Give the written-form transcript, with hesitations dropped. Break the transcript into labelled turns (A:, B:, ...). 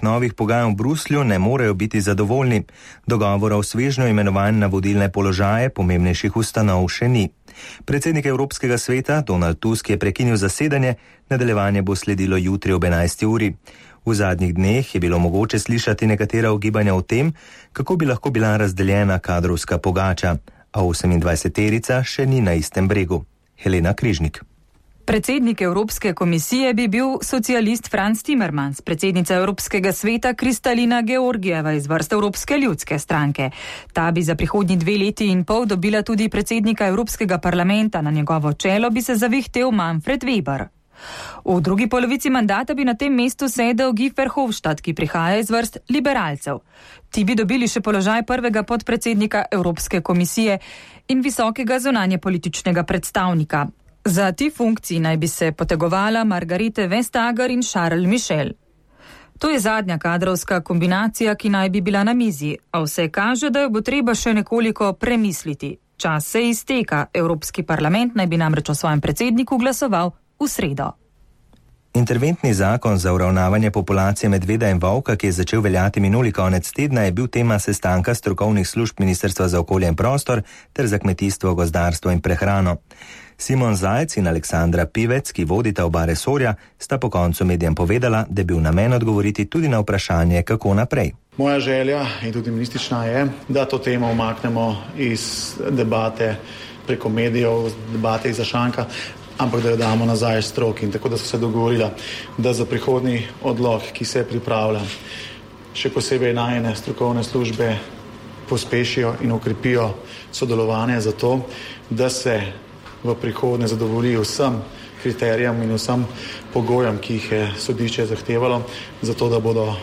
A: novih pogajanj v Bruslju ne morejo biti zadovoljni. Dogovora o svežnju imenovanj na vodilne položaje pomembnejših ustanov še ni. Predsednik Evropskega sveta Donald Tusk je prekinil zasedanje, nadaljevanje bo sledilo jutri ob 11. uri. V zadnjih dneh je bilo mogoče slišati nekatera ugibanja o tem, kako bi lahko bila razdeljena kadrovska pogača, a 28-terica še ni na istem bregu. Helena Križnik.
B: Predsednik Evropske komisije bi bil socialist Franz Timmermans, predsednica Evropskega sveta Kristalina Georgijeva iz vrst Evropske ljudske stranke. Ta bi za prihodnji 2 leti in pol dobila tudi predsednika Evropskega parlamenta, na njegovo čelo bi se zavihtel Manfred Weber. V drugi polovici mandata bi na tem mestu sedel Guy Verhofstadt, ki prihaja iz vrst liberalcev. Ti bi dobili še položaj prvega podpredsednika Evropske komisije in visokega zunanjepolitičnega predstavnika. Za ti funkciji naj bi se potegovala Margarete Vestager in Charles Michel. To je zadnja kadrovska kombinacija, ki naj bi bila na mizi, a vse kaže, da jo bo treba še nekoliko premisliti. Čas se izteka, Evropski parlament naj bi namreč o svojem predsedniku glasoval v sredo.
A: Interventni zakon za uravnavanje populacije medveda in volka, ki je začel veljati minuli konec tedna, je bil tema sestanka strokovnih služb Ministrstva za okolje in prostor ter za kmetijstvo, gozdarstvo in prehrano. Simon Zajec in Aleksandra Pivec, ki vodita oba resorja, sta po koncu medijem povedala, da je bil namen odgovoriti tudi na vprašanje, kako naprej.
C: Moja želja in tudi ministrična je, da to temo umaknemo iz debate preko medijev, debate iz zašanka, ampak da jo damo nazaj stroki. In tako da so se dogovorila, da za prihodnji odlok, ki se pripravlja, še posebej najne strokovne službe pospešijo in ukrepijo sodelovanje za to, da se v prihodnje zadovolji vsem kriterijem in vsem pogojem, ki jih je sodišče zahtevalo, zato da bodo